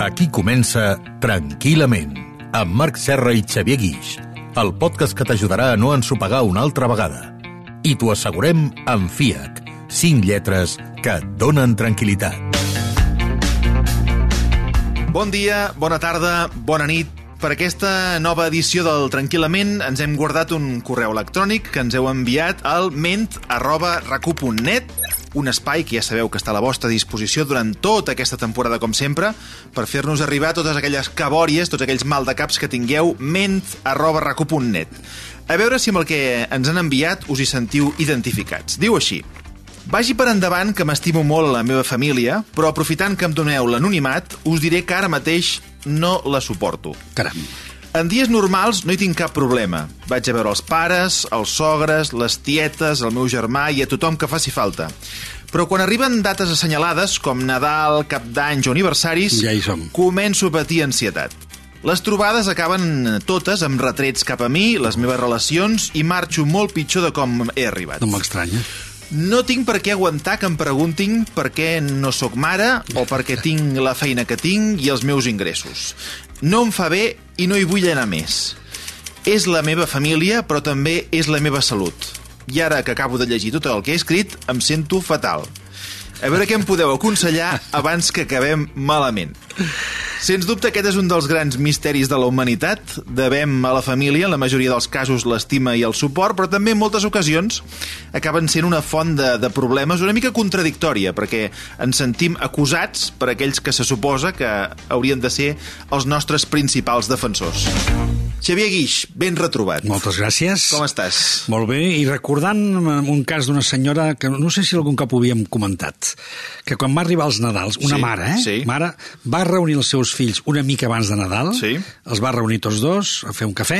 Aquí comença Tranquil·lament, amb Marc Serra i Xavier Guix, el podcast que t'ajudarà a no ensopegar una altra vegada. I t'ho assegurem amb FIAC, 5 lletres que et donen tranquil·litat. Bon dia, bona tarda, bona nit. Per aquesta nova edició del Tranquil·lament ens hem guardat un correu electrònic que ens heu enviat al ment@racu.net, un espai que ja sabeu que està a la vostra disposició durant tota aquesta temporada, com sempre, per fer-nos arribar totes aquelles cabòries, tots aquells maldecaps que tingueu, ment@racu.net. A veure si amb el que ens han enviat us hi sentiu identificats. Diu així: vagi per endavant que m'estimo molt a la meva família, però aprofitant que em doneu l'anonimat, us diré que ara mateix no la suporto. Caram. En dies normals no hi tinc cap problema. Vaig a veure els pares, els sogres, les tietes, el meu germà i a tothom que faci falta. Però quan arriben dates assenyalades, com Nadal, Cap d'Anys o aniversaris, ja hi som. Començo a patir ansietat. Les trobades acaben totes amb retrets cap a mi, les meves relacions, i marxo molt pitjor de com he arribat. No m'estranya. No tinc per què aguantar que em preguntin per què no sóc mare o per què tinc la feina que tinc i els meus ingressos. No em fa bé i no hi vull anar més. És la meva família, però també és la meva salut. I ara que acabo de llegir tot el que he escrit, em sento fatal. A veure què em podeu aconsellar abans que acabem malament. Sens dubte aquest és un dels grans misteris de la humanitat. Devem a la família, en la majoria dels casos, l'estima i el suport, però també en moltes ocasions acaben sent una font de problemes una mica contradictòria, perquè ens sentim acusats per aquells que se suposa que haurien de ser els nostres principals defensors. Xavier Guix, ben retrobat. Moltes gràcies. Com estàs? Molt bé, i recordant un cas d'una senyora que no sé si algun cop ho havíem comentat, que quan va arribar als Nadals, una mare, mare, va reunir els seus fills una mica abans de Nadal, els va reunir tots dos a fer un cafè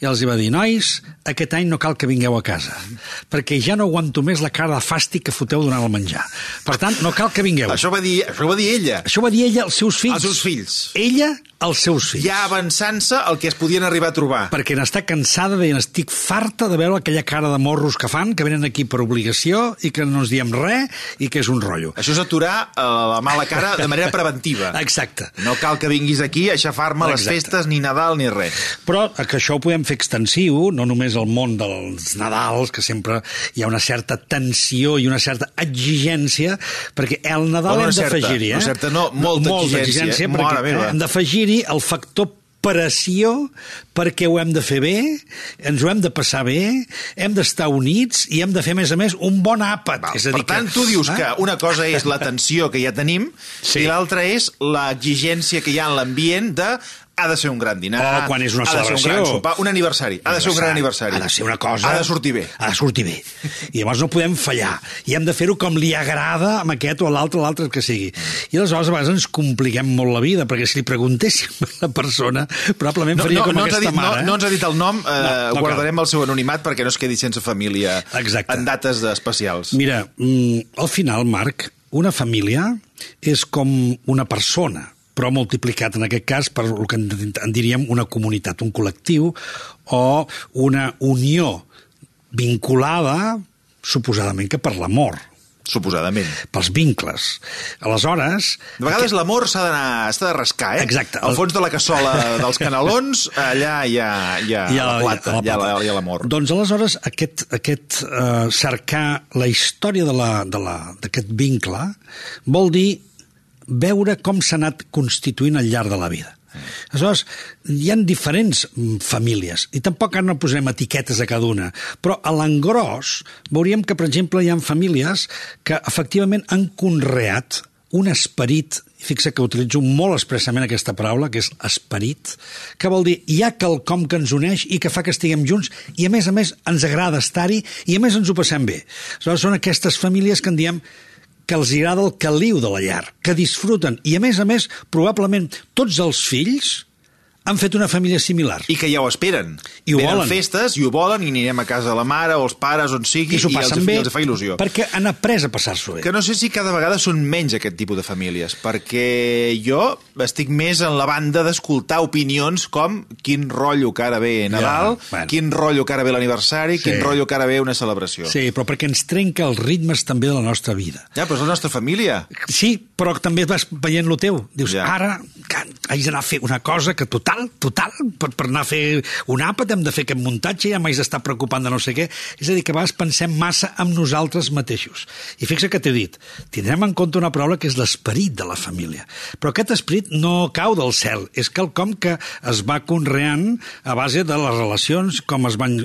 i els va dir: nois, aquest any no cal que vingueu a casa, perquè ja no aguanto més la cara de fàstic que foteu donant el menjar. Per tant, no cal que vingueu. Això va dir ella. Això va dir ella als seus fills. Als seus fills. Ella als seus fills. Ja avançant-se el que es podien arribar a trobar. Perquè n'està cansada de dir: estic farta de veure aquella cara de morros que fan, que venen aquí per obligació i que no ens diem res i que és un rotllo. Això és aturar la mala cara de manera preventiva. Exacte. No cal que vinguis aquí a aixafar-me les festes, ni Nadal, ni res. Però que això ho podem fer extensiu, no només al món dels Nadals, que sempre hi ha una certa tensió i una certa exigència, perquè el Nadal hem d'afegir-hi. Molta exigència, perquè hem d'afegir-hi el factor pressió, perquè ho hem de fer bé, ens ho hem de passar bé, hem d'estar units i hem de fer, a més, un bon àpat. Per tant, tu dius que una cosa és la tensió que ja tenim i l'altra és l'exigència que hi ha en l'ambient de ha de ser un gran dinar, quan és una celebració, ha de ser un gran sopar, un aniversari, ha de ser un gran aniversari. Ha de ser una cosa... Ha de sortir bé. Ha de sortir bé. I llavors no podem fallar. I hem de fer-ho com li agrada amb aquest o l'altre que sigui. I aleshores a vegades ens compliquem molt la vida, perquè si li preguntéssim a la persona, probablement faria com aquesta mare. No ens ha dit el nom, guardarem el seu anonimat perquè no es quedi sense família en dates especials. Mira, al final, Marc, una família és com una persona, però multiplicat en aquest cas per el que en diríem una comunitat, un col·lectiu o una unió vinculada suposadament que per l'amor. Suposadament. Pels vincles. Aleshores... De vegades l'amor s'ha de rascar, Exacte. Al fons de la cassola dels canelons, allà hi ha la plata, hi ha l'amor. Doncs aleshores aquest cercar la història d'aquest vincle vol dir veure com s'ha anat constituint al llarg de la vida. Aleshores, hi ha diferents famílies, i tampoc no posem etiquetes a cada una, però a l'engròs veuríem que, per exemple, hi ha famílies que efectivament han conreat un esperit, fixa que utilitzo molt expressament aquesta paraula, que és esperit, que vol dir hi ha quelcom que ens uneix i que fa que estiguem junts i a més ens agrada estar-hi i a més ens ho passem bé. Aleshores, són aquestes famílies que en diem que els agrada el caliu de la llar, que disfruten, i a més, probablement tots els fills han fet una família similar. I que ja ho esperen. I ho Venen volen. festes i ho volen, i anirem a casa de la mare o els pares, on sigui, I s'ho passen bé, els fa il·lusió. perquè han après a passar-s'ho bé. Que no sé si cada vegada són menys aquest tipus de famílies, perquè jo estic més en la banda d'escoltar opinions com quin rotllo que ara ve Nadal, quin rotllo que ara ve l'aniversari, quin rotllo que ara ve una celebració. Sí, però perquè ens trenca els ritmes també de la nostra vida. Ja, però és la nostra família. Sí, però també vas veient lo teu. Dius, ara haig d'anar a fer una cosa que total, per anar a fer un àpat hem de fer aquest muntatge, ja m'haig d'estar preocupant de no sé què. És a dir, que a vegades pensem massa en nosaltres mateixos. I fixa't que t'he dit, tindrem en compte una paraula que és l'esperit de la família. Però aquest esperit no cau del cel, és quelcom que es va conreant a base de les relacions, com es van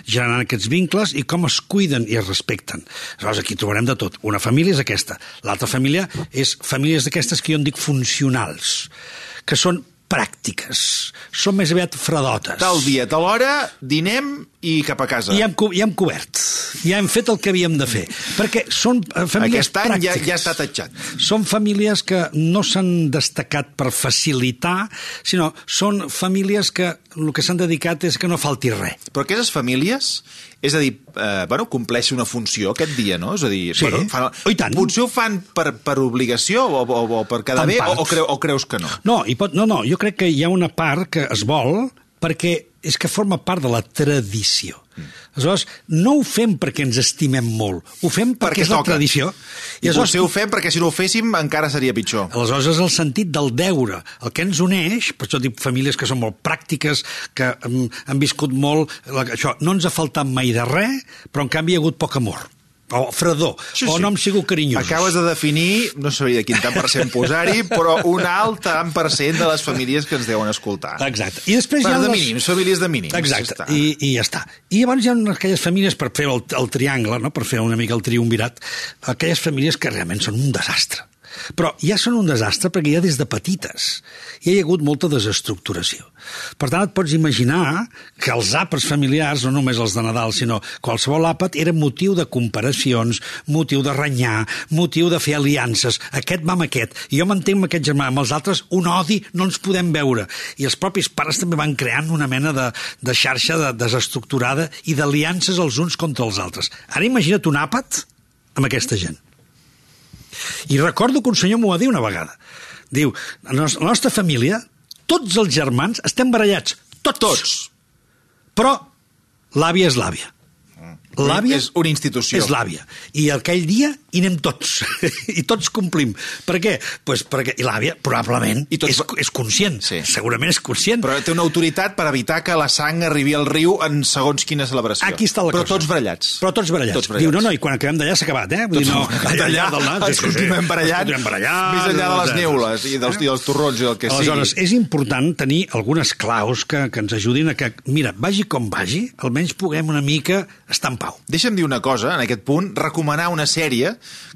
generant aquests vincles i com es cuiden i es respecten. Aleshores, aquí trobarem de tot. Una família és aquesta. L'altra família és famílies d'aquestes que jo en dic funcionals, que són pràctiques, són més aviat fredotes. Tal dia, tal hora, dinem i cap a casa. I hem cobert, ja hem fet el que havíem de fer, perquè són famílies Aquest any pràctiques. ja està tatxat. Són famílies que no s'han destacat per facilitar, sinó són famílies que el que s'han dedicat és que no falti res. Però aquestes famílies, és a dir, compleixen una funció aquest dia, no? És a dir, Sí, i tant. Potser ho fan per obligació o per quedar bé, o creus que no? No, jo crec que hi ha una part que es vol perquè és que forma part de la tradició. Aleshores, no ho fem perquè ens estimem molt, ho fem perquè és la tradició. I potser ho fem perquè si no ho féssim encara seria pitjor. Aleshores és el sentit del deure, el que ens uneix, per això dic famílies que són molt pràctiques, que han viscut molt, això, no ens ha faltat mai de res, però en canvi hi ha hagut poc amor. O fredor, o no hem sigut carinyosos. Acabes de definir, no sabria quin tant per cent posar-hi, però un alt tant per cent de les famílies que ens deuen escoltar. Exacte. I després hi ha de mínims, famílies de mínims. Exacte, i ja està. I llavors hi ha aquelles famílies, per fer el triangle, no? Per fer una mica el triumvirat, aquelles famílies que realment són un desastre. Però ja són un desastre perquè ja des de petites hi ha hagut molta desestructuració. Per tant, et pots imaginar que els àpats familiars, no només els de Nadal, sinó qualsevol àpat, era motiu de comparacions, motiu de renyar, motiu de fer aliances. Aquest va amb aquest, i jo m'entenc amb aquest germà, amb els altres un odi, no ens podem veure. I els propis pares també van creant una mena de xarxa desestructurada i d'aliances els uns contra els altres. Ara imagina't un àpat amb aquesta gent. I recordo que un senyor m'ho va dir una vegada. Diu, a la nostra família, tots els germans estem barallats. Tots. Però l'àvia és l'àvia. L'àvia és una institució. És l'àvia. I aquell dia hi anem tots. I tots complim. Per què? Pues perquè l'àvia probablement és conscient. Sí. Segurament és conscient. Però té una autoritat per evitar que la sang arribi al riu en segons quina celebració. Aquí està la cosa. Tots barallats. Però tots barallats. Diu, no, i quan acabem d'allà s'ha acabat, eh? Vull dir, no, ens continuem barallant, més enllà de les neules i dels torrons i del que sigui. Aleshores, és important tenir algunes claus que ens ajudin a que, mira, vagi com vagi, almenys puguem una mica estar en pau. Deixa'm dir una cosa, en aquest punt, recomanar una sèrie,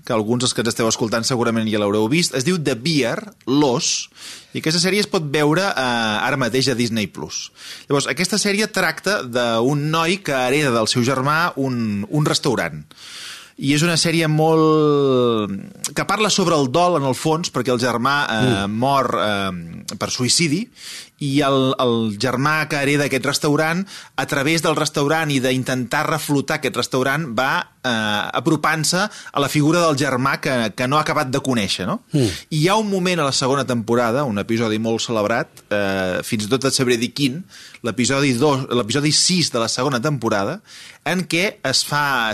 que alguns dels que ens esteu escoltant segurament ja l'haureu vist, es diu The Bear, l'os, i aquesta sèrie es pot veure ara mateix a Disney+. Llavors, aquesta sèrie tracta d'un noi que hereda del seu germà un restaurant. I és una sèrie molt... que parla sobre el dol, en el fons, perquè el germà mor per suïcidi, i el germà que hereda aquest restaurant, a través del restaurant i d'intentar reflotar aquest restaurant, va apropant-se a la figura del germà que no ha acabat de conèixer, no? I hi ha un moment a la segona temporada, un episodi molt celebrat, fins i tot et sabré dir quin, l'episodi 6 de la segona temporada, en què es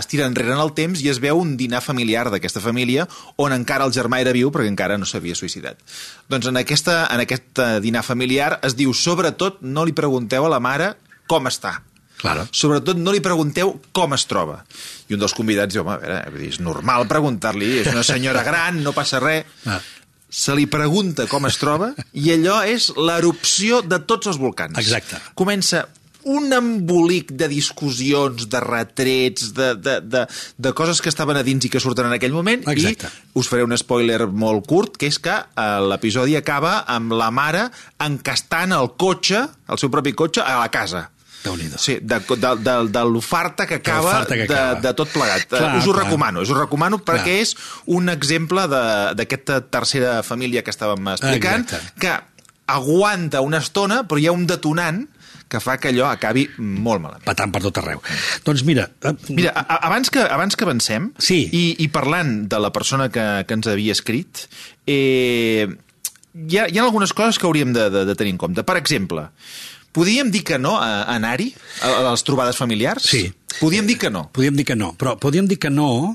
tira enrere en el temps i es veu un dinar familiar d'aquesta família on encara el germà era viu perquè encara no s'havia suïcidat. Doncs en aquest dinar familiar es diu, sobretot, no li pregunteu a la mare com està. Claro. Sobretot no li pregunteu com es troba. I un dels convidats diu, a veure, és normal preguntar-li, és una senyora gran, no passa res. Se li pregunta com es troba i allò és l'erupció de tots els volcans. Exacte. Comença un embolic de discussions, de retrets, de coses que estaven a dins i que surten en aquell moment. Exacte. I us faré un spoiler molt curt, que és que l'episodi acaba amb la mare encastant el cotxe, el seu propi cotxe, a la casa. Sí, de l'oferta que acaba de tot plegat. Us ho recomano perquè és un exemple d'aquesta tercera família que estàvem explicant, que aguanta una estona, però hi ha un detonant que fa que allò acabi molt malament. Patant per tot arreu. Doncs mira... Mira, abans que avancem, sí. i parlant de la persona que ens havia escrit, hi ha algunes coses que hauríem de tenir en compte. Per exemple, podíem dir que no a anar-hi, a les trobades familiars? Sí. Podíem dir que no. Podíem dir que no, però podíem dir que no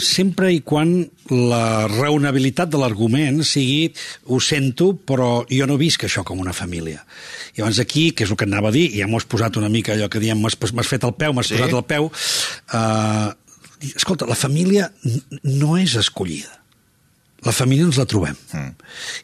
sempre i quan la raonabilitat de l'argument sigui ho sento, però jo no visc això com una família. I llavors aquí, que és el que anava a dir, i ja m'ho has posat una mica allò que diem, m'has fet el peu, m'has posat el peu, escolta, la família no és escollida. La família ens la trobem.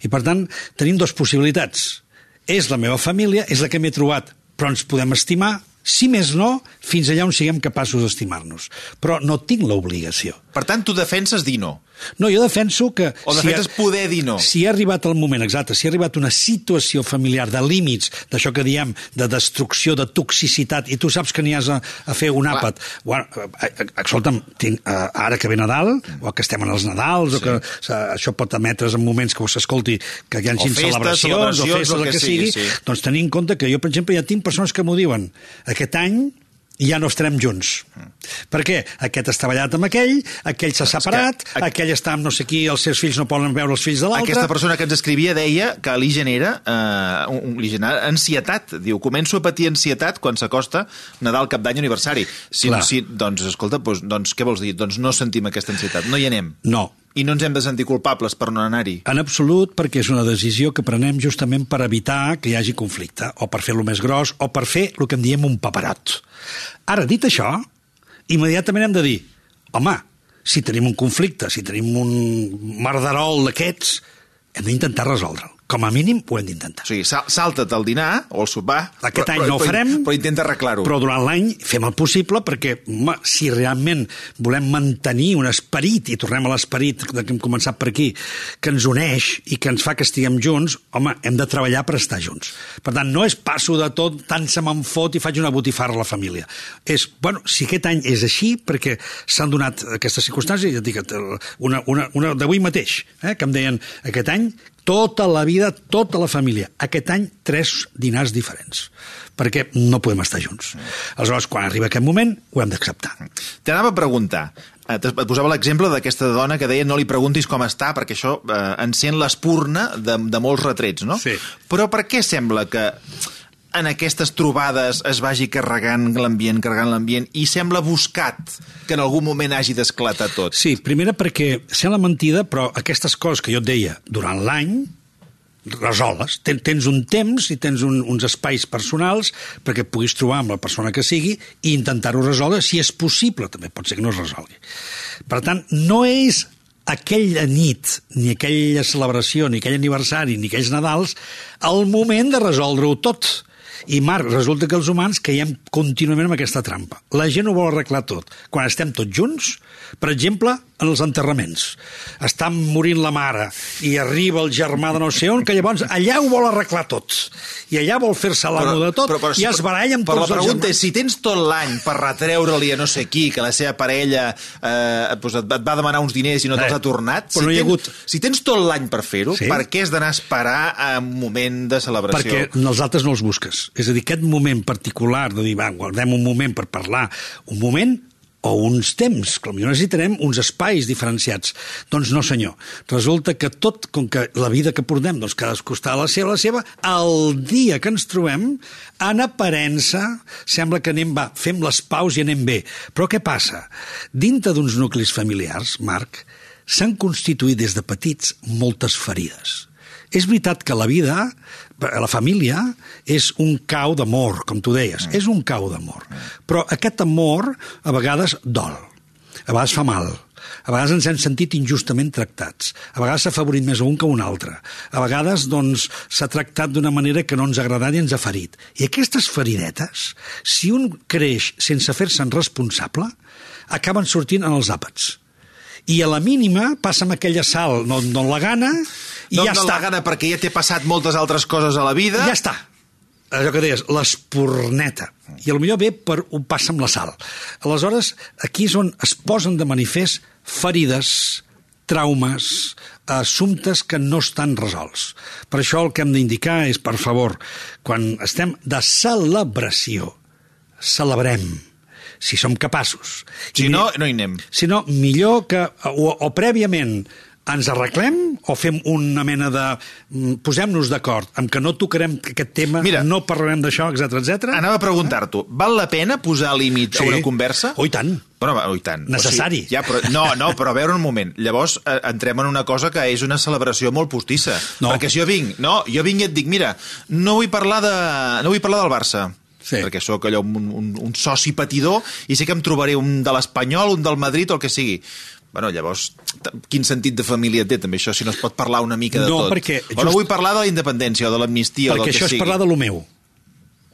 I per tant, tenim dues possibilitats. És la meva família, és la que m'he trobat, però ens podem estimar, si més no, fins allà on siguem capaços d'estimar-nos. Però no tinc l'obligació. Per tant, tu defenses dir no. No, jo defenso que... O defenses poder dir no. Si ha arribat el moment, exacte, si ha arribat una situació familiar de límits, d'això que diem, de destrucció, de toxicitat, i tu saps que n'hi has a fer un àpat... Bueno, escolta'm, ara que ve Nadal, o que estem en els Nadals, o que això pot emetre's en moments que s'escolti que hi hagi celebracions, o festes, el que sigui, doncs tenir en compte que jo, per exemple, ja tinc persones que m'ho diuen. Aquest any ja no estarem junts. Per què? Aquest està ballat amb aquell s'ha separat, aquell està amb no sé qui, els seus fills no poden veure els fills de l'altre... Aquesta persona que ens escrivia deia que li genera ansietat. Diu, començo a patir ansietat quan s'acosta Nadal, Cap d'Any, aniversari. Doncs, escolta, doncs què vols dir? Doncs no sentim aquesta ansietat, no hi anem. No. I no ens hem de sentir culpables per no anar-hi. En absolut, perquè és una decisió que prenem justament per evitar que hi hagi conflicte, o per fer-lo més gros, o per fer el que en diem un paperot. Ara, dit això, immediatament hem de dir, home, si tenim un conflicte, si tenim un merderol d'aquests, hem d'intentar resoldre'l. Com a mínim ho hem d'intentar. O sigui, salta't el dinar o el sopar... Aquest any no ho farem, però intenta arreglar-ho. Però durant l'any fem el possible perquè, home, si realment volem mantenir un esperit, i tornem a l'esperit que hem començat per aquí, que ens uneix i que ens fa que estiguem junts, home, hem de treballar per estar junts. Per tant, no és passo de tot, tant se me'n fot i faig una botifarra a la família. És, bueno, si aquest any és així, perquè s'han donat aquestes circumstàncies, ja et dic, una d'avui mateix, que em deien, aquest any tota la vida, tota la família. Aquest any, 3 dinars diferents, perquè no podem estar junts. Aleshores, quan arriba aquest moment, ho hem d'acceptar. T'anava a preguntar, et posava l'exemple d'aquesta dona que deia no li preguntis com està, perquè això encén l'espurna de molts retrets, no? Sí. Però per què sembla que en aquestes trobades es vagi carregant l'ambient, i sembla buscat que en algun moment hagi d'esclatar tot? Sí, primera perquè sembla mentida, però aquestes coses que jo et deia, durant l'any, resoles. Tens un temps i tens uns espais personals perquè puguis trobar amb la persona que sigui i intentar-ho resoldre, si és possible, també pot ser que no es resolgui. Per tant, no és aquella nit, ni aquella celebració, ni aquell aniversari, ni aquells Nadals, el moment de resoldre-ho tot. I, Marc, resulta que els humans caiem contínuament en aquesta trampa. La gent ho vol arreglar tot. Quan estem tots junts, per exemple, en els enterraments, està morint la mare i arriba el germà de no sé on, que llavors allà ho vol arreglar tot. I allà vol fer-se l'amo de tot i es baralla amb tots els germans. Però la pregunta és, si tens tot l'any per retreure-li a no sé qui, que la seva parella et va demanar uns diners i no te'ls ha tornat, si tens tot l'any per fer-ho, per què has d'anar a esperar a un moment de celebració? Perquè els altres no els busques. És a dir, aquest moment particular de dir, va, guardem un moment per parlar, un moment o uns temps, que potser necessitarem uns espais diferenciats. Doncs no, senyor. Resulta que tot, com que la vida que portem, doncs cadascú està a la seva, el dia que ens trobem, en aparença, sembla que fem les paus i anem bé. Però què passa? Dintre d'uns nuclis familiars, Marc, s'han constituït des de petits moltes ferides. És veritat que la vida, la família, és un cau d'amor, com tu deies. És un cau d'amor. Però aquest amor a vegades dol, a vegades fa mal, a vegades ens hem sentit injustament tractats, a vegades s'ha favorit més un que un altre, a vegades doncs, s'ha tractat d'una manera que no ens ha agradat i ens ha ferit. I aquestes feridetes, si un creix sense fer-se'n responsable, acaben sortint en els àpats. I a la mínima passa amb aquella sal, no la gana, i ja està. No la gana perquè ja t'he passat moltes altres coses a la vida. Ja està. Allò que deies, l'espurneta. I potser ve per ho passa amb la sal. Aleshores, aquí és on es posen de manifest ferides, traumes, assumptes que no estan resolts. Per això el que hem d'indicar és, per favor, quan estem de celebració, celebrem, si som capaços. Si no, no hi anem. Si no, millor que o prèviament ens arreglem o fem una mena de... Posem-nos d'acord amb que no tocarem aquest tema, Mira, no parlarem d'això, etc. Anava a preguntar-t'ho, val la pena posar límit a una conversa? Oh, i tant. Bueno, i tant. Necessari. O sigui, ja, però, però a veure un moment. Llavors entrem en una cosa que és una celebració molt postissa. No. Perquè si jo vinc i et dic, mira, no vull parlar del Barça. Sí. Perquè sóc allò un soci patidor i sé que em trobaré un de l'Espanyol, un del Madrid o el que sigui. Bueno, llavors, quin sentit de família té també això, si no es pot parlar una mica de tot? Perquè o no vull parlar de la independència o de l'amnistia o del que sigui. Perquè això és parlar de lo meu.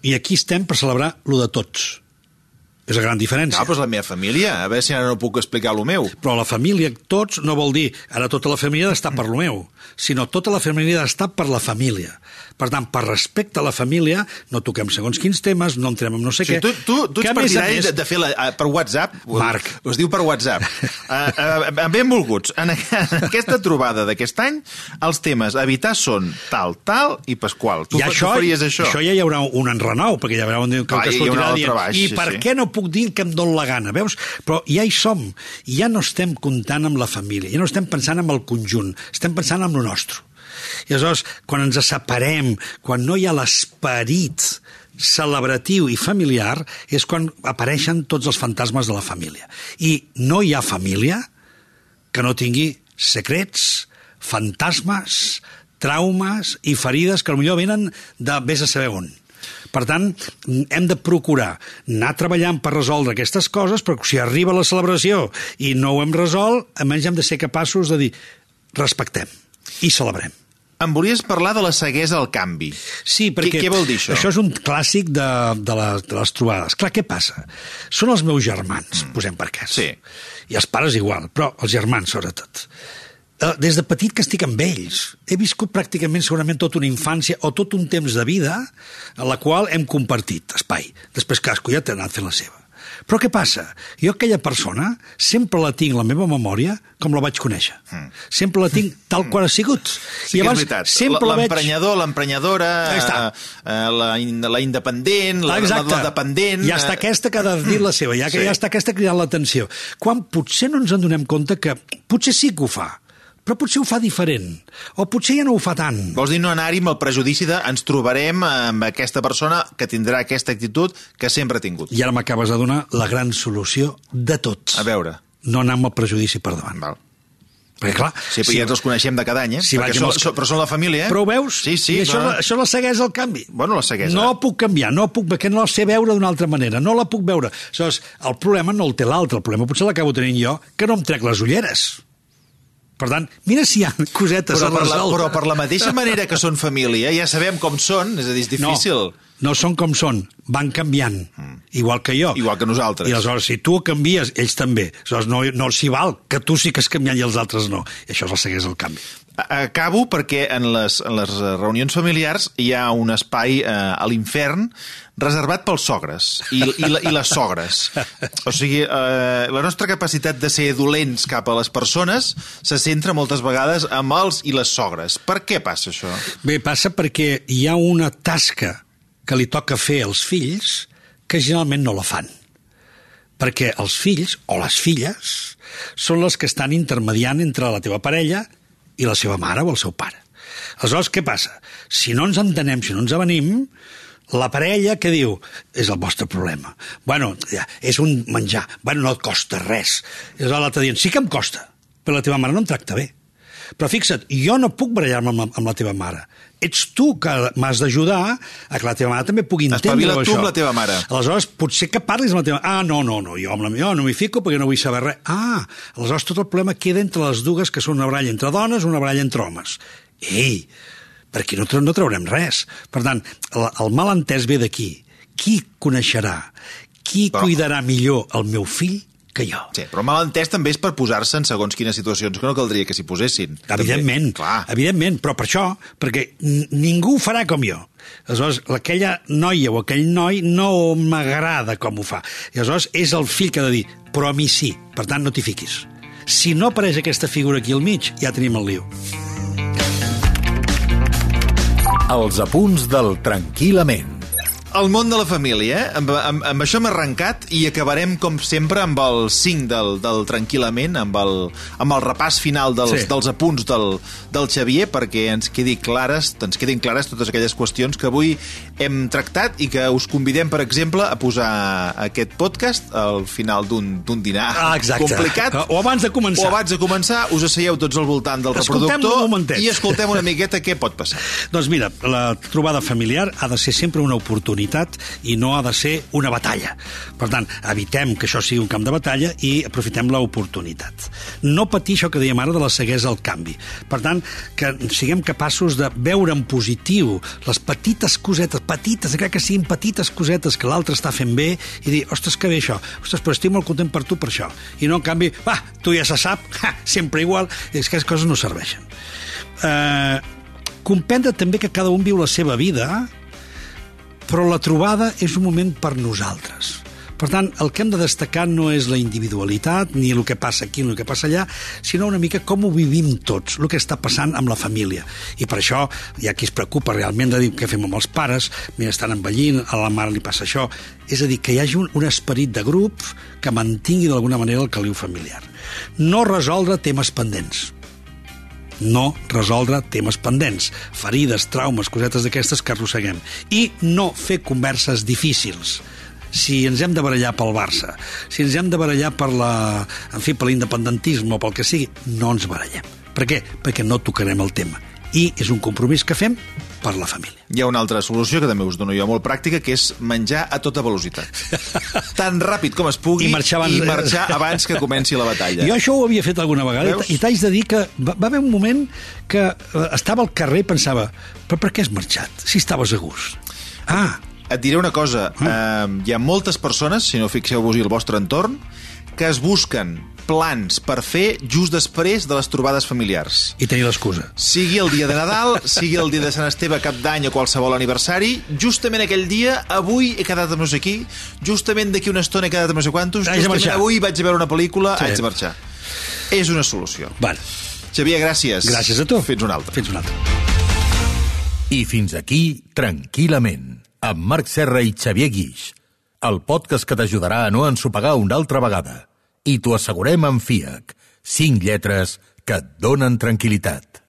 I aquí estem per celebrar lo de tots. És la gran diferència. No, però és la meva família. A veure si ara no puc explicar lo meu. Però la família, tots, no vol dir ara tota la família ha d'estar per lo meu, sinó tota la família ha d'estar per la família. Per tant, per respecte a la família, no toquem segons quins temes, no entrem en no sé què. Tu ets partidari de fer per WhatsApp? Marc. Es diu per WhatsApp. Benvolguts. En aquesta trobada d'aquest any, els temes a evitar són tal i Pasqual. Tu faries això? Això ja hi haurà un enrenou, perquè hi haurà un que sortirà dient i per què no puc dir que em dóna la gana, veus? Però ja hi som. Ja no estem comptant amb la família, ja no estem pensant en el conjunt, estem pensant en lo nostre. I aleshores, quan ens separem, quan no hi ha l'esperit celebratiu i familiar, és quan apareixen tots els fantasmes de la família. I no hi ha família que no tingui secrets, fantasmes, traumes i ferides que potser venen de vés a saber on. Per tant, hem de procurar anar treballant per resoldre aquestes coses, però si arriba la celebració i no ho hem resolt, almenys hem de ser capaços de dir respectem i celebrem. Em volies parlar de la ceguesa al canvi. Sí, perquè què vol dir això? Això és un clàssic de les trobades. Clar, què passa? Són els meus germans, posem per cas. Sí. I els pares igual, però els germans sobretot. Des de petit que estic amb ells. He viscut pràcticament segurament tota una infància o tot un temps de vida en la qual hem compartit espai. Després cadascú ja t'ha anat fent la seva. Però què passa? Jo aquella persona sempre la tinc la meva memòria com la vaig conèixer. Sempre la tinc tal qual ha sigut. Sí, i llavors, és veritat. L'emprenyador, l'emprenyadora, la independent, la dependent... Ja està aquesta que ha de dir la seva, ja està aquesta cridant l'atenció. Quan potser no ens en donem compte que potser sí que ho fa, però potser ho fa diferent, o potser ja no ho fa tant. Vols dir no anar-hi amb el prejudici de ens trobarem amb aquesta persona que tindrà aquesta actitud que sempre ha tingut. I ara m'acabes de donar la gran solució de tot. A veure. No anar amb el prejudici per davant. Val. Perquè clar... Sí, però ja ens els coneixem de cada any, però són la família, Però ho veus? Sí, I això la ceguesa al canvi. Bueno, la ceguesa. No puc canviar, perquè no la sé veure d'una altra manera, no la puc veure. Aleshores, el problema no el té l'altre, el problema potser l'acabo tenint jo, que no em trec les ulleres. Per tant, mira si hi ha cosetes a resoldre. Però per la mateixa manera que són família, ja sabem com són, és a dir, és difícil. No són com són, van canviant, igual que jo. Igual que nosaltres. I aleshores, si tu canvies, ells també. Aleshores, no s'hi val, que tu sí que has canviat i els altres no. I això és el segueix el canvi. Acabo perquè en les reunions familiars hi ha un espai a l'infern reservat pels sogres i les sogres. O sigui, la nostra capacitat de ser dolents cap a les persones se centra moltes vegades amb els i les sogres. Per què passa això? Bé, passa perquè hi ha una tasca que li toca fer als fills que generalment no la fan. Perquè els fills o les filles són les que estan intermediant entre la teva parella i la seva mare o el seu pare. Aleshores, què passa? Si no ens entenem, si no ens avenim, la parella, què diu? És el vostre problema. Bueno, és un menjar. Bueno, no et costa res. I aleshores l'altre dient, sí que em costa, però la teva mare no em tracta bé. Però fixa't, jo no puc barallar-me amb la teva mare. Ets tu que m'has d'ajudar a que la teva mare també pugui entendre això. Espavila't tu amb la teva mare. Aleshores, potser que parlis amb la teva mare. No, jo amb la meva no m'hi fico perquè no vull saber res. Aleshores tot el problema queda entre les dues, que són una baralla entre dones, una baralla entre homes. Ei, per aquí no traurem res. Per tant, el malentès ve d'aquí. Qui coneixerà, qui cuidarà millor el meu fill que jo. Sí, però malentès també és per posar-se en segons quines situacions que no caldria que s'hi posessin. Evidentment, però per això, perquè ningú ho farà com jo. Aleshores, aquella noia o aquell noi no m'agrada com ho fa. I aleshores és el fill que ha de dir, però a mi sí, per tant no t'hi fiquis. Si no apareix aquesta figura aquí al mig, ja tenim el lío. Els apunts del Tranquil·lament. El món de la família, amb això hem arrencat i acabarem, com sempre, amb el 5 del Tranquil·lament, amb el repàs final dels apunts del Xavier, perquè ens quedin clares totes aquelles qüestions que avui hem tractat i que us convidem, per exemple, a posar aquest podcast al final d'un dinar complicat. O abans de començar. O abans de començar, us asseieu tots al voltant del reproductor i escoltem una miqueta què pot passar. Doncs mira, la trobada familiar ha de ser sempre una oportunitat i no ha de ser una batalla. Per tant, evitem que això sigui un camp de batalla i aprofitem l'oportunitat. No patir això que dèiem ara de la ceguesa al canvi. Per tant, que siguem capaços de veure en positiu les petites cosetes, crec que siguin petites cosetes que l'altre està fent bé i dir, ostres, que bé això, ostres, però estic molt content per tu per això. I no, en canvi, tu ja se sap, sempre igual, és que les coses no serveixen. Comprendre també que cada un viu la seva vida, però la trobada és un moment per nosaltres. Per tant, el que hem de destacar no és la individualitat, ni el que passa aquí, ni el que passa allà, sinó una mica com ho vivim tots, el que està passant amb la família. I per això hi ha qui es preocupa realment de dir què fem amb els pares, mira, estan envellint, a la mare li passa això. És a dir, que hi hagi un esperit de grup que mantingui d'alguna manera el caliu familiar. No resoldre temes pendents. No resoldre temes pendents, ferides, traumes, cosetes d'aquestes que arrosseguem. I no fer converses difícils. Si ens hem de barallar pel Barça, si ens hem de barallar per l'independentisme o pel que sigui, no ens barallem. Per què? Perquè no tocarem el tema. I és un compromís que fem per la família. Hi ha una altra solució que també us dono jo molt pràctica, que és menjar a tota velocitat. Tan ràpid com es pugui i marxar abans que comenci la batalla. Jo això ho havia fet alguna vegada. Veus? I t'haig de dir que va haver un moment que estava al carrer i pensava, però per què has marxat, si estaves a gust? Et diré una cosa, hi ha moltes persones, si no fixeu-vos-hi al vostre entorn, que es busquen plans per fer just després de les trobades familiars. I tenir l'excusa. Sigui el dia de Nadal, sigui el dia de Sant Esteve, Cap d'Any o qualsevol aniversari, justament aquell dia, avui he quedat amb no sé qui, justament d'aquí una estona he quedat amb no sé quantos, justament avui vaig a veure una pel·lícula, haig de marxar. És una solució. Vale. Xavier, gràcies. Gràcies a tu. Fins una altra. Fins una altra. I fins aquí, Tranquil·lament, amb Marc Serra i Xavier Guix, el podcast que t'ajudarà a no ensopegar una altra vegada. I t'ho assegurem amb FIAC, 5 lletres que et donen tranquil·litat.